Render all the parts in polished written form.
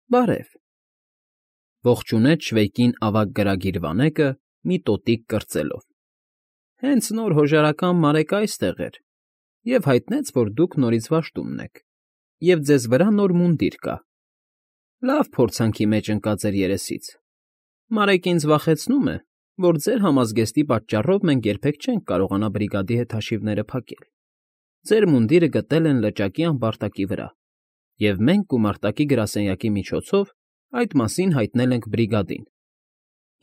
Բարև,֊ ողջունեց Շվեյկին ավագ գրագիր վանեկը մի տոտիկ կրծելով։֊ Հենց նոր հոժարական Մարեկը այստեղ էր և հայտնեց, որ դուք նորից վաշտումն եք, և ձեզ վրա նոր մունդիր կա. լավ փորձանքի մեջ ընկած էր երեսից. Մարեկն ինձ վախեցնում է, որ ձեր համազգեստի պատճառով մենք երբեք չենք կարողանա բրիգադի հետ հաշիվները փակել. ձեր մունդիրը գտել են լճակի ամբարտակի վրա, և մենք գումարտակի գրասենյակի միջոցով այդ մասին հայտնել ենք բրիգադին.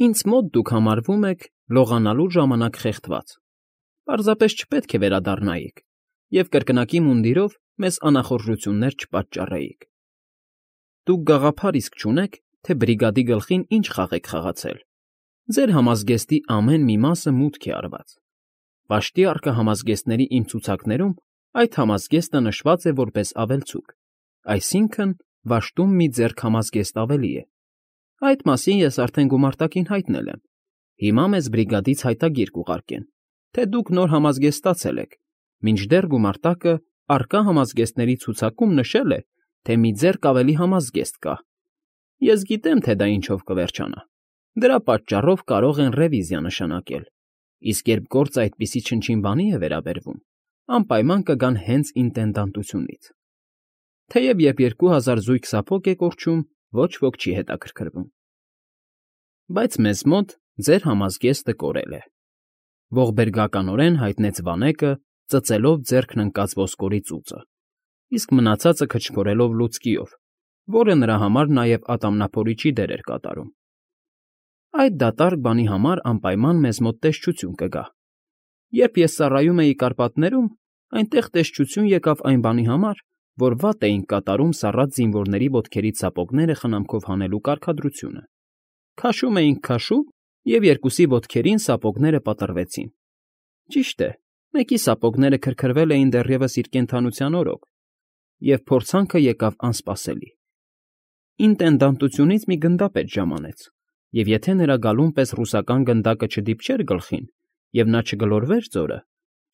ինձ մոտ դուք համարվում եք լողանալու ժամանակ խեղդված, պարզապես չպետք է վերադառնայիք և կրկնակի մունդիրով մեզ անախորժություններ չպատճառեիք. Դուք գաղափար իսկ չունեք, թե բրիգադի գլխին ինչ խաղ եք խաղացել. ձեր համազգեստի ամեն մի մասը մուտք է արված. Վաշտի առկա համազգեստների իմ ցուցակներում այդ համազգեստը նշված է որպես ավելցուկ, այսինքն՝ վաշտում մի ձեռք համազգեստ ավելի է. այդ մասին ես արդեն գումարտակին հայտնել եմ, հիմա մեզ բրիգադից հայտագիր կուղարկեն, թե դուք նոր համազգեստ ստացել եք, մինչդեռ գումարտակը առկա համազգեստների ցուցակում նշել է, թե մի ձեռք ավելի համազգեստ կա. ես գիտեմ, թե դա ինչով կվերջանա. դրա պատճառով կարող են ռևիզիա նշանակել, իսկ երբ գործը այդպիսի չնչին բանի է վերաբերվում, անպայման կգան հենց ինտենդանտությունից. թեև երբ 2000 զույգ սափոկ է կորչում, ոչ ոք չի հետաքրքրվում։ Բայց մեզ մոտ ձեր համազգեստը կորել է,֊ ողբերգականորեն հայտնեց վանեկը, ծծելով ձեռքն ընկած ոսկորի ծուծը, իսկ մնացածը քչփորելով լուցկիով, որը նրա համար նաև ատամնափորիչի դեր էր կատարում։ Այդ դատարկ բանի համար անպայման մեզ մոտ տեսչություն կգա. երբ ես ծառայում էի Կարպատներում, այնտեղ տեսչություն եկավ այն բանի համար, որ վատ էինք կատարում սառած զինվորների ոտքերից սապոգները խնամքով հանելու կարգադրությունը. քաշում էինք քաշում, և երկուսի ոտքերին սապոգները պատռվեցին. ճիշտ է, մեկի սապոգները քրքրվել էին դեռևս իր կենդանության օրոք, և փորձանքը եկավ անսպասելի. ինտենդանտությունից մի գնդապետ ժամանեց, և եթե նրա գալուն պես ռուսական գնդակը չդիպչեր գլխին, և նա չգլորվեր ձորը,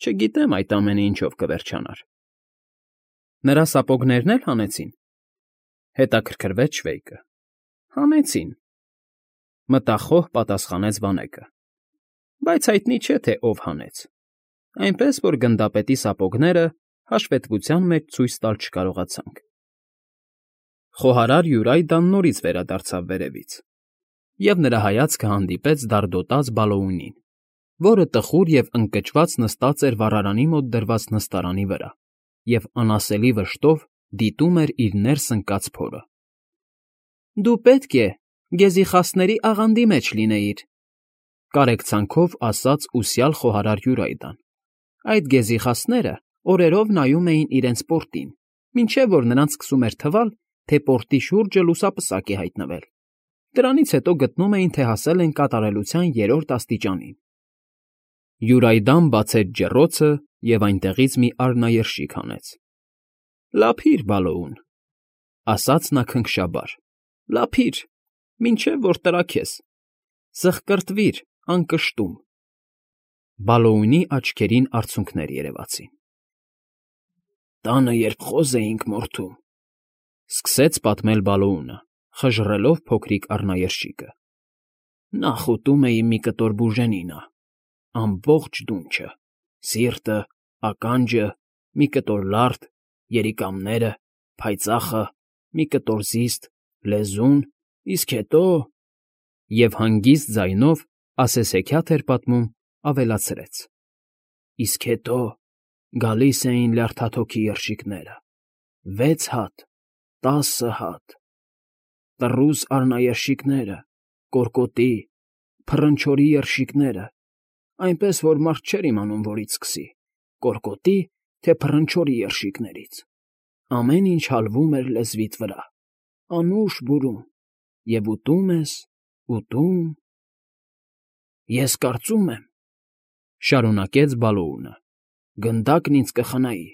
չգիտեմ այդ ամենը ինչով կվերջանար։ Նրա սապոգներն էլ հանեցին,֊ հետաքրքրվեց Շվեյկը։ Հանեցին,֊ մտախոհ պատասխանեց վանեկը,֊ բայց հայտնի չէ, թե ով հանեց, այնպես որ գնդապետի սապոգները հաշվետվության մեջ ցույց տալ չկարողացանք։ Խոհարար Յուրայդան նորից վերադարձավ վերևից, և նրա հայացքը հանդիպեց դարդոտած Բալոունին, որը տխուր և ընկճված նստած էր վառարանի մոտ դրված նստարանի վրա և անասելի վշտով դիտում էր իր ներս ընկած փորը։ Դու պետք է գեզիխասների աղանդի մեջ լինեիր,֊ կարեկցանքով ասաց ուսյալ խոհարար Յուրայդան. այդ գեզիխասները օրերով նայում էին իրենց պորտին, մինչև որ նրանց սկսում էր թվալ, թե պորտի շուրջը լուսապսակ է հայտնվել. դրանից հետո գտնում էին, թե հասել են կատարելության 3-րդ աստիճանին։ Յուրայդան բացեց ջեռոցը և այնտեղից մի արհնաերշիկ հանեց։ Լափիր, Բալոուն,֊ ասաց նա քնքշաբար,֊ լափիր, մինչև որ տրաքես, զղկռտվիր անկշտում… Բալոունի աչքերին արցունքներ երևացին։ «Տանը երբ խոզ էինք մորթում,֊ սկսեց պատմել Բալոունը, խժռելով փոքրիկ առնաերշիկը,֊ նախ ուտում էի մի կտոր բուժենինա, ամբողջ դունչը, սիրտը, ականջը, մի կտոր լարդ, երիկամները, փայծախը, մի կտոր զիստ, լեզուն, իսկ հետո…» և հանգիստ ձայնով, ասես հեքիաթ էր պատմում, ավելացրեց. «Իսկ հետո գալիս էին լյարդաթոքի երշիկները, 6 հատ, 10 հատ, տռուզ առնաերշիկները, կարկոտի, փռնչորի երշիկները, այնպես որ մարդ չէր իմանում որից սկսի՝ կարկոտի, թե փռնչորի երշիկներից, ամեն ինչ հալվում էր լեզվիդ վրա, անուշ բուրում, և ուտում ես, ուտում… Ես կարծում եմ,֊ շարունակեց Բալոունը,֊ գնդակն ինձ կխնայի,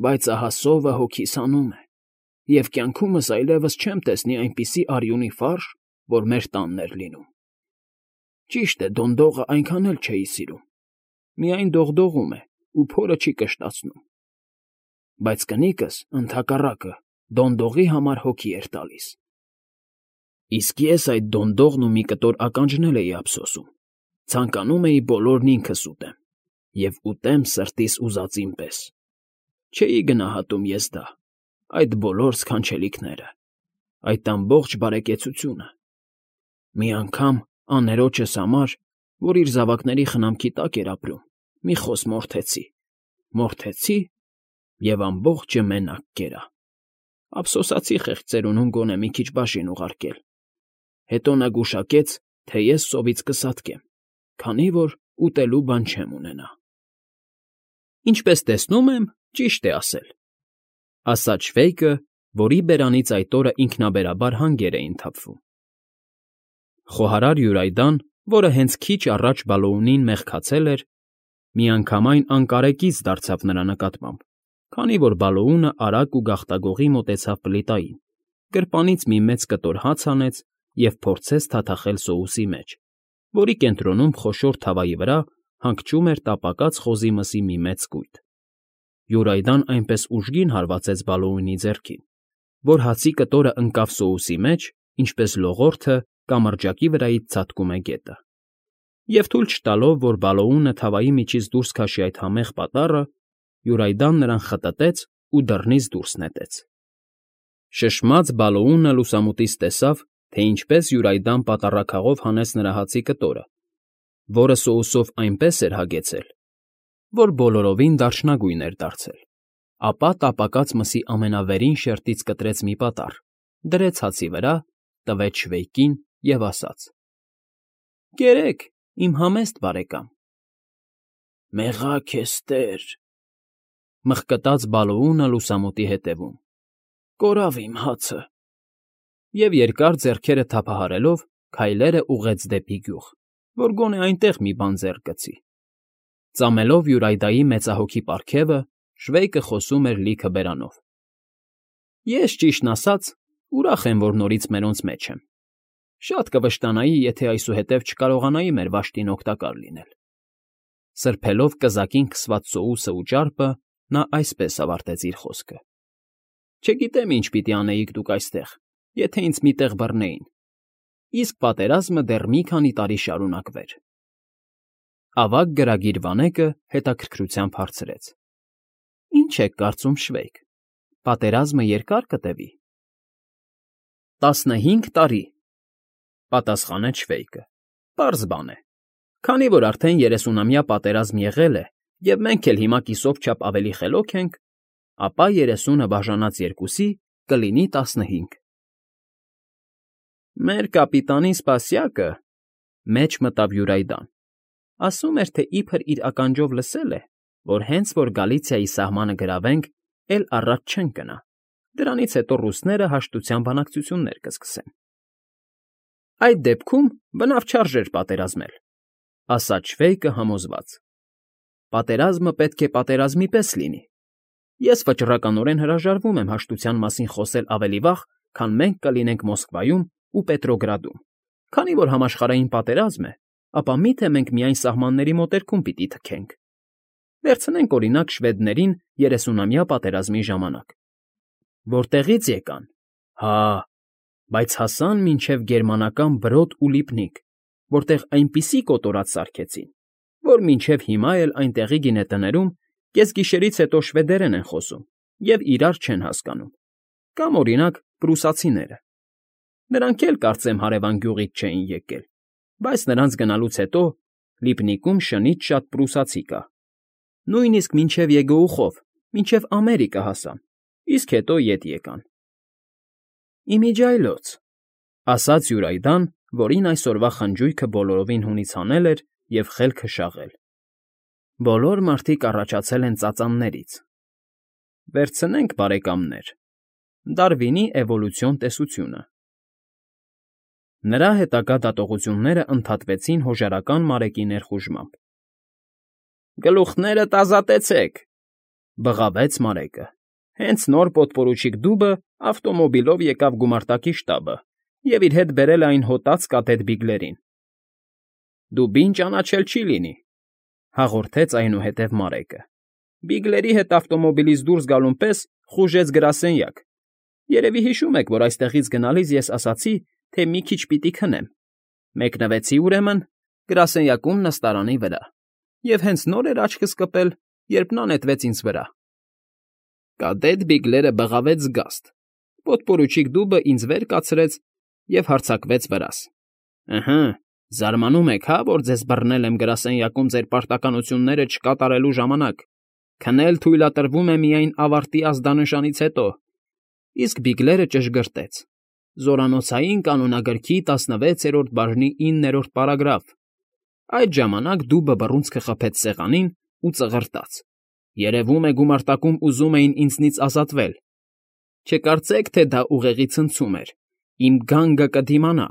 բայց ահա սովը հոգիս հանում է, և կյանքումս այլևս չեմ տեսնի այնպիսի արյունի ֆարշ, որ մեր տանն էր լինում… Ճիշտ է, դոնդողը այնքան էլ չէի սիրում, միայն դողդողում է ու փորը չի կշտացնում, բայց կնիկս, ընդհակառակը, դոնդողի համար հոգի էր տալիս, Իսկ ես այդ դոնդողն ու մի կտոր ականջնել էի ափսոսում, ցանկանում էի բոլորն ինքս ուտեմ, և ուտեմ սրտիս ուզածին պես. չէի գնահատում ես դա, այդ բոլոր սքանչելիքները, այդ ամբողջ բարեկեցությունը, մի անգամ աներոջս համար, որ իր զավակների խնամքի տակ էր ապրում, մի խոս մորթեցի և ամբողջը մենակ կերա, ափսոսացի խեղճ ծերունուն գոնե մի քիչ բաժին ուղարկել, հետո նա գուշակեց, թե ես սովից կսատկեմ, քանի որ ուտելու բան չեմ ունենա։ Ինչպես տեսնում եմ, ճիշտ է ասել, ասաց Շվեյկը, որի բերանից այդ օրը ինքնաբերաբար հանգեր էին թափվում։ Խոհարար Յուրայդան, որը հենց քիչ առաջ Բալոունին մեղքացել էր, միանգամայն անկարեկից դարձավ նրա նկատմամբ, քանի որ Բալոունը արագ ու գաղտագողի մոտեցավ պլիտային, գրպանից մի մեծ կտոր հաց հանեց և փորձեց թաթախել սոուսի մեջ, որի կենտրոնում խոշոր թավայի վրա հանգչում էր տապակած խոզի մսի մի մեծ կույտ։ Յուրայդան այնպես ուժգին հարվածեց Բալոունի ձեռքին, որ հացի կտորը ընկավ սոուսի մեջ, ինչպես լողորդը կամրջակի վրայից ցատկում է գետը, և թույլ չտալով, որ Բալոունը թավայի միջից դուրս քաշի այդ համեղ պատառը, Յուրայդան նրան խտտեց ու դռնից դուրս նետեց։ Շշմած Բալոունը լուսամուտից տեսավ, թե ինչպես Յուրայդան պատառաքաղով հանեց նրա հացի կտորը, որը սոուսով այնպես էր հագեցել, որ բոլորովին դարչնագույն էր դարձել, ապա տապակած մսի ամենավերին շերտից կտրեց մի պատառ, դրեց հացի վրա, տվեց Շվեյկին և ասաց. «Կերեք, իմ համեստ բարեկամ»։ «Մեղա քեզ, տեր», մխկտաց Բալոունը լուսամուտի հետևում, «կորավ իմ հացը»։ Եվ երկար ձեռքերը թափահարելով քայլերը ուղղեց դեպի գյուղ, որ գոնե այնտեղ մի բան ձեռք գցի։ Ծամելով Յուրայդայի մեծահոգի պարգևը, Շվեյկը խոսում էր լիքը բերանով. «Ես, ճիշտն ասած, ուրախ եմ, որ նորից մերոնց մեջ եմ։ Շատ կվշտանայի, եթե այսուհետև չկարողանայի մեր վաշտին օգտակար լինել»։ Սրբելով կզակին քսված սոուսը ու ճարպը, նա այսպես ավարտեց իր խոսքը. «Չգիտեմ, ինչ պիտի անեիք դուք այստեղ, եթե ինձ մի տեղ բռնեին, իսկ պատերազմը դեռ մի քանի տարի շարունակվեր»։ Ավագ գրագիր վանեկը հետաքրքրությամբ հարցրեց. «Ինչ եք կարծում, Շվեյկ, պատերազմը երկա՞ր կտևի»։ 15 տարի, պատասխանեց Շվեյկը, պարզ բան է, քանի որ արդեն 30-ամյա պատերազմ եղել է, և մենք էլ հիմա կիսով չափ ավելի խելոք ենք, ապա 30-ը բաժանած 2-ի կլինի 15։ Մեր կապիտանի Սպասյակը, մեջ մտավ Յուրայդան, ասում էր, թե իբր իր ականջով լսել է, որ հենց որ Գալիցիայի սահմանը գրավենք, էլ առաջ չեն գնա, դրանից հետո ռուսները հաշտության բանակցություններ կսկսեն։ Այդ դեպքում բնավ չարժեր պատերազմել, ասաց Շվեյկը համոզված։ Պատերազմը պետք է պատերազմի պես լինի։ Ես վճռականորեն հրաժարվում եմ հաշտության մասին խոսել ավելի վաղ, քան մենք կլինենք Մոսկվայում ու Պետրոգրադում, քանի որ համաշխարհային պատերազմ է, ապա միթե մենք միայն սահմանների մոտերքում պիտի թքենք։ Վերցնենք, օրինակ, շվեդներին 30-ամյա պատերազմի ժամանակ։ Որտեղից եկան։ Հա, բայց հասան մինչև գերմանական Բրոդ ու Լիպնիկ, որտեղ այնպիսի կոտորած սարքեցին, որ մինչև հիմա էլ այնտեղի գինետներում կեսգիշերից հետո շվեդերեն են խոսում և իրար չեն հասկանում, կամ, օրինակ, պրուսացիները։ Նրանք էլ, կարծեմ, հարևան գյուղից չէին եկել, բայց նրանց գնալուց հետո Լիպնիկում շնից շատ պրուսացի կա։ Նույնիսկ մինչև Եգոուխով, մինչև Ամերիկա հասան, իսկ հետո ետ եկան։ Իմիջիայլոց, ասաց Յուրայդան, որին այսօրվա խնջույքը բոլորովին հունից հանել էր և խելքը շաղել։ Բոլոր մարդիկ առաջացել են ծածաններից։ Վերցնենք, բարեկամներ, Դարվինի էվոլյուցիոն տեսությունը։ Նրա հետագա դատողությունները ընդհատվեցին հոժարական Մարեկի ներխուժմամբ։ Գլուխներդ ազատեցեք, բղավեց Մարեկը։ Հենց նոր պոդպորուչիկ դուբը ավտոմոբիլով եկավ գումարտակի շտաբը և իր հետ բերել է այն հոտած կատետ Բիգլերին։ Դուբին ճանաչել չի լինի, հաղորդեց այնուհետև Մարեկը։ Բիգլերի հետ ավտոմոբիլից դուրս գալուն պես խուժեց գրասենյակ։ Երևի հիշում եք, որ այստեղից գնալիս ես ասացի, թե մի քիչ պիտի քնեմ։ Մեկնվեցի, ուրեմն, գրասենյակում նստարանի վրա, և հենց նոր էր աչքս կպել, երբ նա նետվեց ինձ վրա։ Կադետ Բիգլերը բղավեց զգաստ, պոդպորուչիկ դուբը ինձ վեր կացրեց և հարձակվեց վրաս։ Ըհը, զարմանում եք, հա, որ ձեզ բռնել եմ գրասենյակում ձեր պարտականությունները չկատարելու ժամանակ։ Քնել թույլատրվում է միայն ավարտի ազդանշանից հետո։ Իսկ Բիգլերը ճշգրտեց. Զորանոցային կանոնագրքի 16-րդ բաժնի 9-րդ պարագրաֆ։ Այդ ժամանակ դուբը բռունցքը խփեց սեղանին ու ծղրտաց։ Երևում է գումարտակում ուզում էին ինձնից ազատվել։ Չկարծեք, թե դա ուղեղի ցնցում էր։ Իմ գանգը կդիմանա։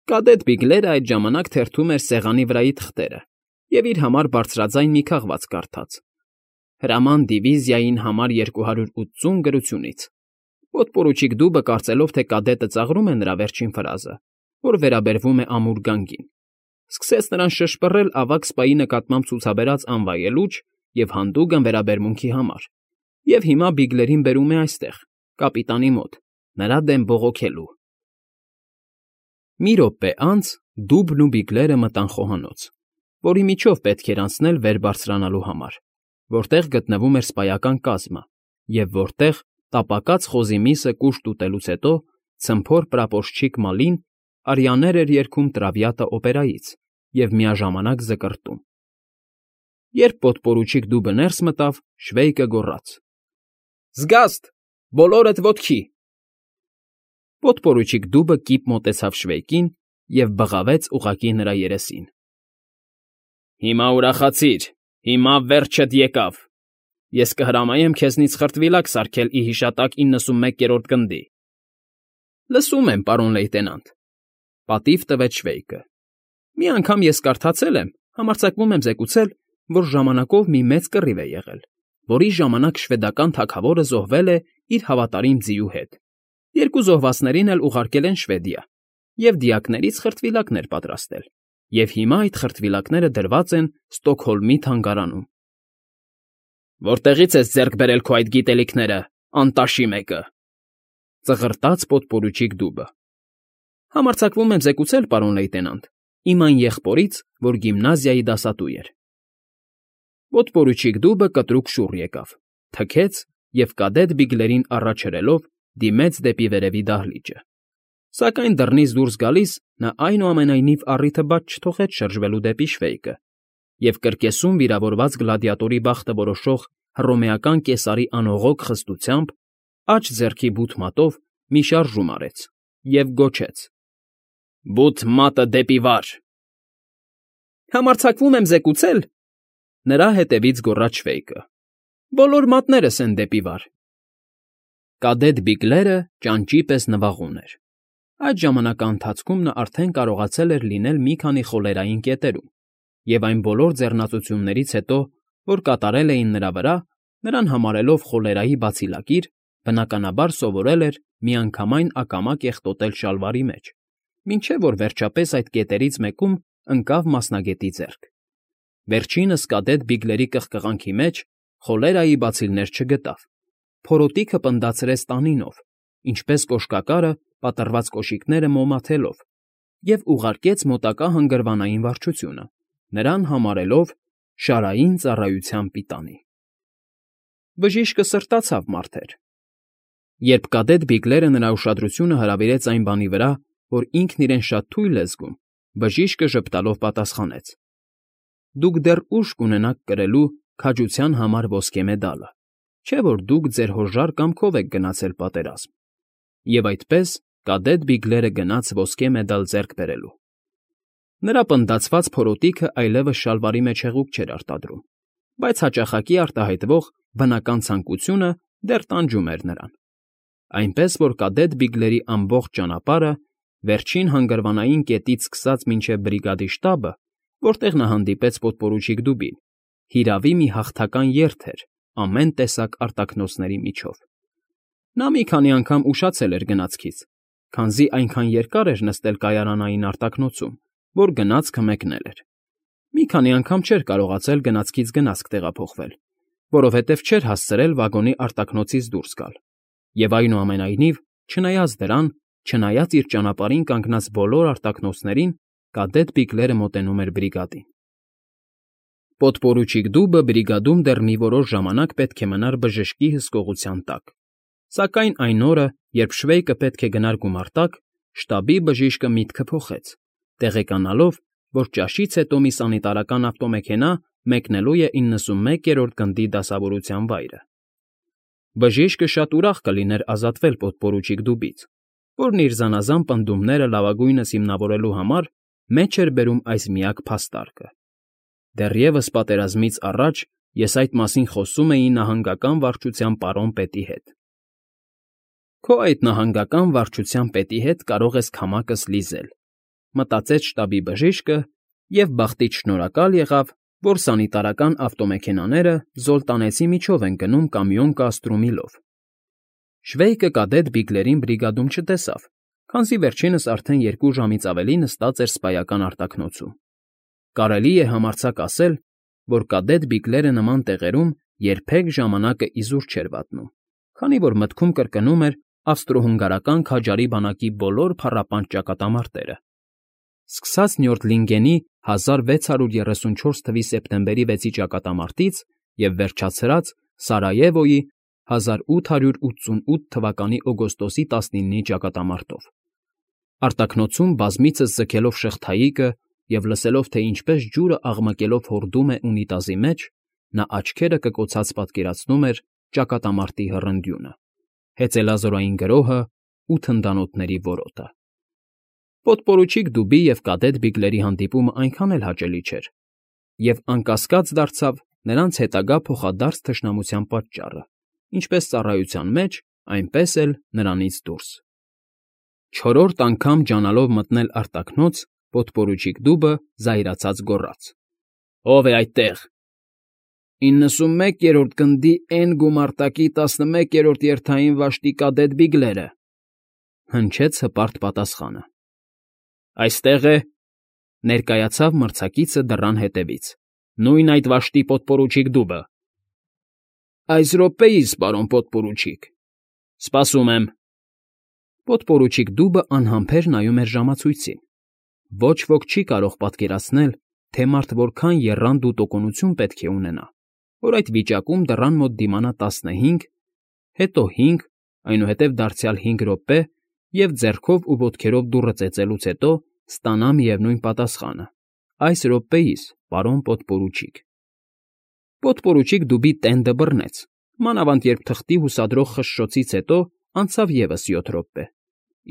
Կադետ Բիգլերը այդ ժամանակ թերթում էր սեղանի վրայի թղթերը և իր համար բարձրաձայն մի քաղված կարդաց. Հրաման դիվիզիային համար 280 գրությունից։ Պոդպորուչիկ դուբը կարծելով, թե կադետը ծաղրում է նրա վերջին ֆրազը, որ վերաբերվում է ամուր գանգին, սկսեց նրան շշպռել ավագ սպայի նկատմամբ ցուցաբերած անվայելուչ և հանդուգն վերաբերմունքի համար, և հիմա Բիգլերին բերում է այստեղ, կապիտանի մոտ, նրա դեմ բողոքելու։ Մի րոպե անց դուբն ու Բիգլերը մտան խոհանոց, որի միջով պետք էր անցնել վեր բարձրանալու համար, որտեղ գտնվում էր սպայական կազմը, և որտեղ, տապակած խոզի միսը կուշտ ուտելուց հետո, ցմփոր պրապորչիկ Մալին արյաներ էր երգում Տրավիատա օպերայից և միաժամանակ զկռտում։ Երբ պոդպորուչիկ դուբը ներս մտավ, Շվեյկը գոռաց. Զգաստ, բոլորդ ոտքի։ Պոդպորուչիկ դուբը կիպ մոտեցավ Շվեյկին և բղավեց ուղղակի նրա երեսին։ Հիմա ուրախացիր, հիմա վերջդ եկավ։ Ես կհրամայեմ քեզնից խրտվիլակ սարքել ի հիշատակ 91-րդ գնդի։ Լսում եմ, պարոն լեյտենանտ, պատիվ տվեց Շվեյկը։ Մի անգամ ես կարդացել եմ, համարձակվում եմ զեկուցել, որ ժամանակով մի մեծ կռիվ է եղել, որի ժամանակ շվեդական թագավորը զոհվել է իր հավատարիմ ձիու հետ։ Երկու զոհվածներին էլ ուղարկել են Շվեդիա և դիակներից խրտվիլակներ պատրաստել, և հիմա այդ խրտվիլակները դրված են Ստոկհոլմի թանգարանում։ Որտեղի՞ց ես ձեռք բերել քո այդ գիտելիքները, անտաշի մեկը,֊ ծղրտաց պոդպորուչիկ դուբը։ Համարձակվում եմ զեկուցել, պարոն լեյտենանտ, իմ այն եղբորից, որ գիմնազիայի դասատու էր։ Պոդպորուչիկ դուբը կտրուկ շուռ եկավ, թքեց և կադետ Բիգլերին առաջ հրելով դիմեց դեպի վերևի դահլիճը։ Սակայն դռնից դուրս գալիս նա այնուամենայնիվ առիթը բաց չթողեց շրջվելու դեպի Շվեյկը և կրկեսում վիրավորված գլադիատորի բախտը որոշող հռոմեական կեսարի անողոք խստությամբ աջ ձեռքի բութ մատով մի շարժում արեց և գոչեց. Բութ մատը դեպի վար։ Համարձակվում եմ զեկուցել, նրա հետևից գոռաց Շվեյկը, բոլոր մատներս են դեպի վար։ Կադետ Բիգլերը ճանճի պես նվաղում էր։ Այդ ժամանակաընթացքում նա արդեն կարողացել էր լինել մի քանի խոլերային կետերում, և այն բոլոր ձեռնածություններից հետո, որ կատարել էին նրա վրա, նրան համարելով խոլերայի բացիլակիր, բնականաբար սովորել էր միանգամայն ակամա կեղտոտել շալվարի մեջ, մինչև որ վերջապես այդ կետերից մեկում ընկավ մասնագետի ձեռք։ Վերջինս կադետ Բիգլերի կղկղանքի մեջ խոլերայի բացիլներ չգտավ, փորոտիքը պնդացրեց տանինով, ինչպես կոշկակարը պատռված կոշիկները մոմաթելով, և ուղարկեց մոտակա հանգրվանային վարչությունը, նրան համարելով շարային ծառայության պիտանի։ Բժիշկը սրտացավ մարդեր։ Երբ կադետ Բիգլերը նրա ուշադրությունը հրավիրեց այն բանի վրա, որ ինքն իրեն շատ թույլ է զգում, բժիշկը ժպտալով պատասխանեց. Դուք դեռ ուժ կունենաք կրելու քաջության համար ոսկե մեդալը, չէ՞ որ դուք ձեր հոժար կամքով եք գնացել պատերազմ։ Եվ այդպես կադետ Բիգլերը գնաց ոսկե մեդալ ձեռք բերելու։ Նրա պնդացված փորոտիքը այլևս շալվարի մեջ հեղուկ չէր արտադրում, բայց հաճախակի արտահայտվող բնական ցանկությունը դեռ տանջում էր նրան։ Այնպես որ կադետ Բիգլերի ամբողջ ճանապարհը, վերջին հանգրվանային կետից սկսած մինչև բրիգադի շտաբը, որտեղ նա հանդիպեց պոդպորուչիկ դուբին, հիրավի մի հաղթական երթ էր ամեն տեսակ արտաքնոցների միջով։ Նա մի քանի անգամ ուշացել էր գնացքից, քանզի այնքան երկար էր նստել կայարանային արտաքնոցում, որ գնացքը մեկնել էր։ Մի քանի անգամ չէր կարողացել գնացքից գնացք տեղափոխվել, որովհետև չէր հասցրել վագոնի արտաքնոցից դուրս գալ, և այնուամենայնիվ, չնայած դրան, Չնայած իր ճանապարհին կանգնած բոլոր արտաքնոցներին, կադետ Բիգլերը մոտենում էր բրիգադին։ Պոդպորուչիկ Դուբը բրիգադում դեռ մի որոշ ժամանակ պետք է մնար բժշկի հսկողության տակ, սակայն այն օրը, երբ Շվեյկը պետք է գնար գումարտակ, շտաբի բժիշկը միտքը փոխեց, տեղեկանալով, որ ճաշից հետո մի սանիտարական ավտոմեքենա մեկնելու է 91-րդ գնդի դասավորության վայրը։ Բժիշկը շատ ուրախ կլիներ ազատվել պոդպորուչիկ Դուբից, որն իր զանազան պնդումները լավագույնս հիմնավորելու համար մեջ էր բերում այս միակ փաստարկը։ Դեռևս պատերազմից առաջ ես այդ մասին խոսում էի նահանգական վարչության պարոն պետի հետ։ Քո այդ նահանգական վարչության պետի հետ կարող ես քամակս լիզել, մտածեց շտաբի բժիշկը և բախտից շնորհակալ եղավ, որ սանիտարական ավտոմեքենաները Զոլտանեցի միջով են գնում կամիոն կաստրումիլով։ Շվեյկը կադետ Բիգլերին բրիգադում չտեսավ, քանզի վերջինս արդեն 2 ժամից ավելի նստած էր սպայական արտաքնոցում։ Կարելի է համարձակ ասել, որ կադետ Բիգլերը նման տեղերում երբեք ժամանակը իզուր չէր վատնում, քանի որ մտքում կրկնում էր ավստրո֊հունգարական քաջարի բանակի բոլոր փառապանծ ճակատամարտերը։ Սկսած Նյորդլինգենի 1634 թվականի սեպտեմբերի 6-ի ճակատամարտից և վերջացրած Սարայևոյի 1888 թվականի օգոստոսի 19-ի ճակատամարտով։ Արտաքնոցում բազմիցս ձգելով շղթայիկը և լսելով, թե ինչպես ջուրը աղմկելով հորդում է ունիտազի մեջ, նա աչքերը կկոցած պատկերացնում էր ճակատամարտի հռնդյունը, հեծելազորային գրոհը ու թնդանոթների որոտը։ Պոդպորուչիկ Դուբի և կադետ Բիգլերի հանդիպումը այնքան էլ հաճելի չէր, և անկասկած դարձավ նրանց հետագա փոխադարձ թշնամության պատճառը, ինչպես ծառայության մեջ, այնպես էլ նրանից դուրս։ Չորրորդ անգամ ջանալով մտնել արտաքնոց, պոդպորուչիկ Դուբը զայրացած գոռաց. «Ո՞վ է այդտեղ»։ 91-րդ գնդի N գումարտակի 11-րդ երթային վաշտի կադետ Բիգլերը,֊ հնչեց հպարտ պատասխանը։ Այստեղ է,֊ ներկայացավ մրցակիցը դռան հետևից,֊ նույն այդ վաշտի պոդպորուչիկ Դուբը։ Այս րոպեիս, պարոն պոդպորուչիկ։ Սպասում եմ։ Պոդպորուչիկ Դուբը անհամբեր նայում էր ժամացույցին։ Ոչ ոք չի կարող պատկերացնել, թե մարդ որքան եռանդ ու տոկունություն պետք է ունենա, որ այդ վիճակում դռան մոտ դիմանա 15, հետո 5, այնուհետև դարձյալ 5 րոպե և ձեռքով ու ոտքերով դուռը ծեծելուց հետո ստանա միևնույն պատասխանը. այս րոպեիս, պարոն պոդպորուչիկ։ Պոդպորուչիկ Դուբի տենդը բռնեց, մանավանդ երբ թղթի հուսադրող խշշոցից հետո անցավ ևս 7 րոպե,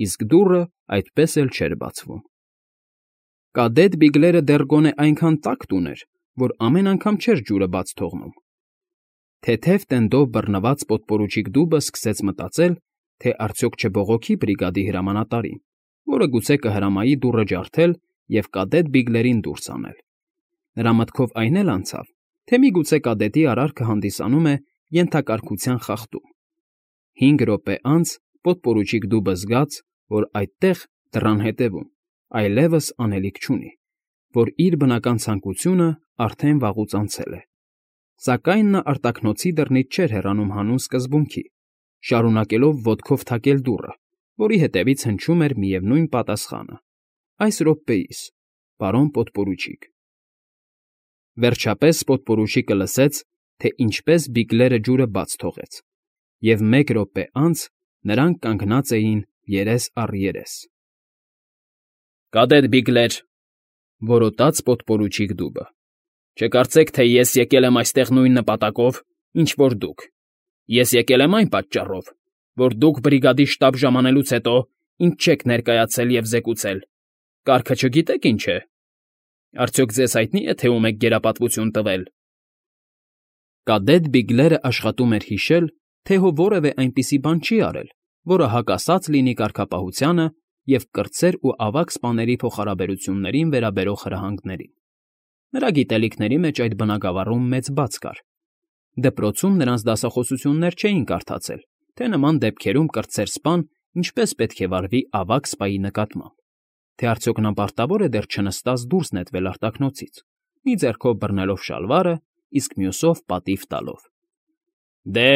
իսկ դուռը այդպես էլ չէր բացվում։ Կադետ Բիգլերը դեռ գոնե այնքան տակտ ուներ, որ ամեն անգամ չէր ջուրը բաց թողնում։ Թեթև տենդով բռնված պոդպորուչիկ Դուբը սկսեց մտածել, թե արդյոք չբողոքի բրիգադի հրամանատարին, որը գուցե կհրամայի դուռը ջարդել և կադետ Բիգլերին դուրս անել։ Նրա մտքով այն էլ անցավ, թե միգուցե կադետի արարքը հանդիսանում է ենթակարգության խախտում։ 5 րոպե անց պոդպորուչիկ Դուբը զգաց, որ այդտեղ, դռան հետևում, այլևս անելիք չունի, որ իր բնական ցանկությունը արդեն վաղուց անցել է։ Սակայն նա արտաքնոցի դռնից չէր հեռանում հանուն սկզբունքի, շարունակելով ոտքով թակել դուռը, որի հետևից հնչում էր միևնույն պատասխանը. այս րոպեիս, պարոն պոդպորուչիկ։ Վերջապես պոդպորուչիկը լսեց, թե ինչպես Բիգլերը ջուրը բաց թողեց, և 1 րոպե անց նրանք կանգնած էին երես առ երես։ Կադետ Բիգլեր,֊ որոտաց պոդպորուչիկ Դուբը,֊ չկարծեք, թե ես եկել եմ այստեղ նույն նպատակով, ինչ որ դուք։ Ես եկել եմ այն պատճառով, որ դուք բրիգադի շտաբ ժամանելուց հետո ինձ չեք ներկայացել և զեկուցել։ Կարգը չգիտեք ինչ է։ Արդյոք ձեզ հայտնի է, թե ում եք գերապատվություն տվել։ Կադետ Բիգլերը աշխատում էր հիշել, թե հո որևէ այնպիսի բան չի արել, որը հակասած լինի կարգապահությանը և կրտսեր ու ավագ սպաների փոխհարաբերություններին վերաբերող հրահանգներին։ Նրա գիտելիքների մեջ այդ բնագավառում մեծ բաց կար։ Դպրոցում նրանց դասախոսություններ չէին կարդացել, թե նման դեպքերում կրտսեր սպան ինչպես պետք է վարվի ավագ սպայի նկատմամբ, թե արդյոք նա պարտավոր է դեռ չնստած դուրս նետվել արտաքնոցից, մի ձեռքով բռնելով շալվարը, իսկ մյուսով պատիվ տալով։ Դե,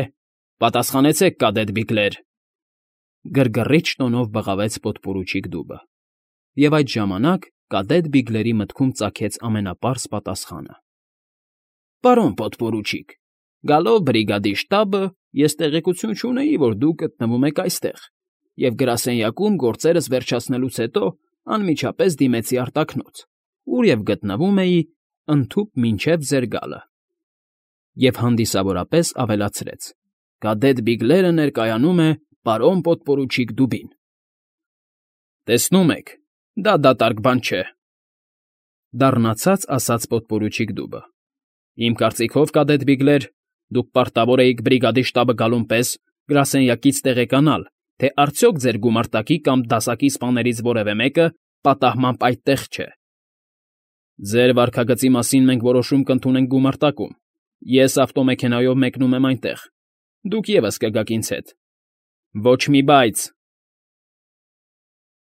պատասխանեցեք, կադետ Բիգլեր։ Գրգռիչ տոնով բղավեց պոդպորուչիկ դուբը, և այդ ժամանակ կադետ Բիգլերի մտքում ծագեց ամենապարզ պատասխանը. Պարոն պոդպորուչիկ, գալով բրիգադի շտաբը, ես տեղեկություն չունեի, որ դուք գտնվում եք այստեղ, և գրասենյակում գործերս վերջացնելուց հետո անմիջապես դիմեցի արտաքնոց, ուր և գտնվում էի ընդհուպ մինչև ձեր գալը, և հանդիսավորապես ավելացրեց. «Կադետ Բիգլերը ներկայանում է պարոն պոդպորուչիկ դուբին»։ Տեսնում եք, դա դատարկ բան չէ,֊ դառնացած ասաց պոդպորուչիկ դուբը։ Իմ կարծիքով, կադետ Բիգլեր, դուք պարտավոր էիք բրիգադի շտաբը գալուն պես գրասենյակից տեղեկանալ, թե արդյոք ձեր գումարտակի կամ դասակի սպաներից որևէ մեկը պատահմամբ այդտեղ չէ։ Ձեր վարքագծի մասին մենք որոշում կընդունենք գումարտակում։ Ես ավտոմեքենայով մեկնում եմ այնտեղ, դուք ևս կգաք ինձ հետ։ Ոչ մի բայց,